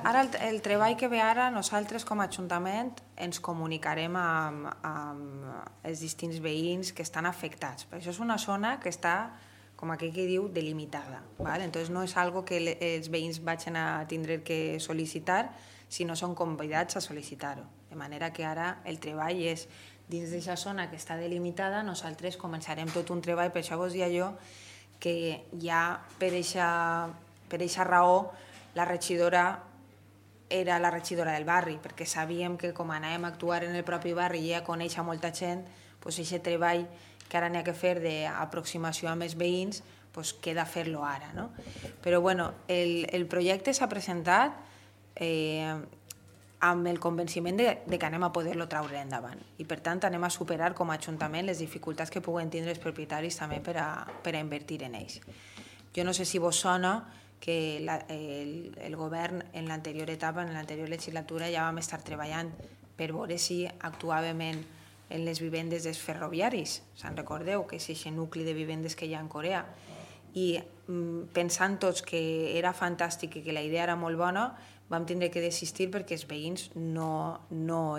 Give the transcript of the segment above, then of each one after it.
Ara el treball que ve ara, nosaltres com a Ajuntament ens comunicarem amb els distints veïns que estan afectats. Però això és una zona que està, com aquell que diu, delimitada. Entonces no és algo que els veïns vagin a tindre que sol·licitar, sinó són convidats a sol·licitar-ho. De manera que ara el treball és dins d'aquesta zona que està delimitada, nosaltres començarem tot un treball, per això vos dia jo que ja per aquesta raó la regidora era la regidora del barri, perquè sabíem que com anàvem a actuar en el propi barri i ja conèixer molta gent, aquest treball que ara n'hi ha que fer d'aproximació amb els veïns, queda fer-lo ara. Però el projecte s'ha presentat amb el convenciment que anem a poder-lo traure endavant i per tant anem a superar com a Ajuntament les dificultats que puguen tindre els propietaris també per a invertir en ells. Jo no sé si vos sona que el govern en l'anterior etapa, en l'anterior legislatura, ja vam estar treballant per veure si actuàvem en les vivendes dels ferroviaris. Se'n recordeu que és aquest nucli de vivendes que hi ha en Corea. I pensant tots que era fantàstic i que la idea era molt bona, vam tindre que desistir perquè els veïns en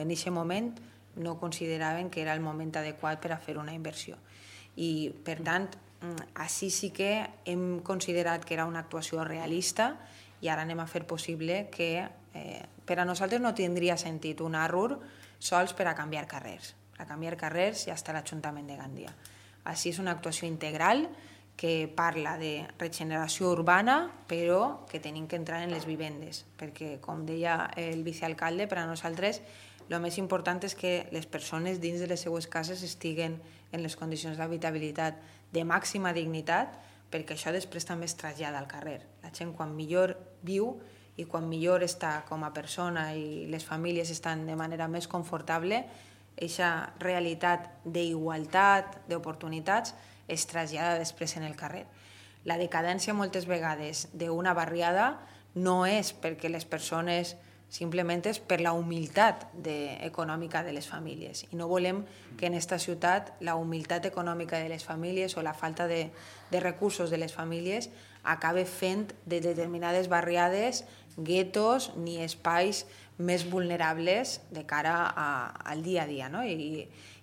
aquest moment no consideraven que era el moment adequat per a fer una inversió. I per tant, així sí que hem considerat que era una actuació realista i ara anem a fer possible que per a nosaltres no tindria sentit un ARUR sols per a canviar carrers. Per a canviar carrers ja està l'Ajuntament de Gandia. Així és una actuació integral que parla de regeneració urbana, però que tenim que entrar en les vivendes, perquè, com deia el vicealcalde, per a nosaltres el més important és que les persones dins de les seues cases estiguen en les condicions d'habitabilitat de màxima dignitat, perquè això després també es trasllada al carrer. La gent quan millor viu i quan millor està com a persona i les famílies estan de manera més confortable, aquesta realitat d'igualtat, d'oportunitats, es trasllada després en el carrer. La decadència moltes vegades d'una barriada no és perquè les persones, simplement és per la humilitat econòmica de les famílies. I no volem que en aquesta ciutat la humilitat econòmica de les famílies o la falta de recursos de les famílies acabe fent de determinades barriades guetos ni espais més vulnerables de cara al dia a dia.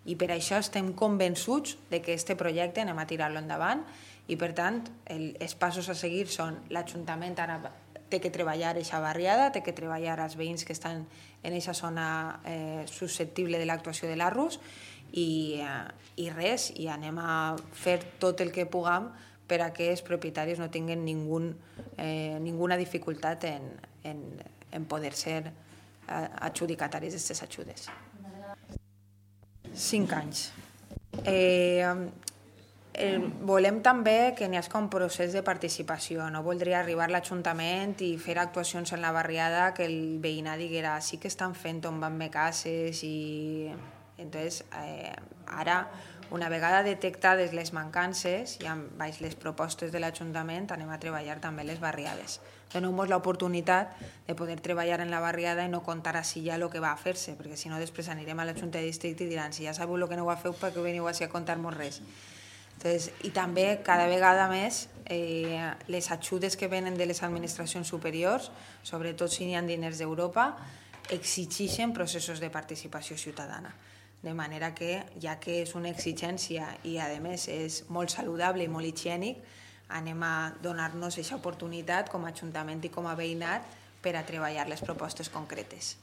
I per això estem convençuts que aquest projecte anem a tirar-lo endavant i per tant els passos a seguir són l'Ajuntament ara té que treballar aquesta barriada, té que treballar els veïns que estan en aquesta zona susceptible de l'actuació de l'ARUS i res, i anem a fer tot el que puguem per a que els propietaris no tinguin ninguna dificultat en poder ser adjudicataris d'aquestes ajudes. 5 anys. Volem també que n'hi hagi un procés de participació. No voldria arribar a l'Ajuntament i fer actuacions en la barriada que el veïnat diguera sí que estan fent tombant-me cases i... Entonces, ara, una vegada detectades les mancances i amb les propostes de l'Ajuntament anem a treballar també les barriades. Donem-nos l'oportunitat de poder treballar en la barriada i no contar així ja el que va a fer-se, perquè si no després anirem a la Junta de Districte i diran si ja sabeu el que no ho feu, per què veniu així a contar-nos res? I també cada vegada més les ajudes que venen de les administracions superiors, sobretot si n'hi ha diners d'Europa, exigeixen processos de participació ciutadana. De manera que, ja que és una exigència i a més és molt saludable i molt higiènic, anem a donar-nos aquesta oportunitat com a Ajuntament i com a veïnat per a treballar les propostes concretes.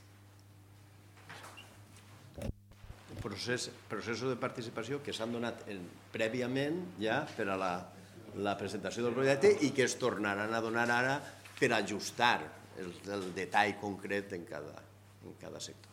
Processos de participació que s'han donat prèviament ja per a la presentació del projecte i que es tornaran a donar ara per ajustar el detall concret en cada sector.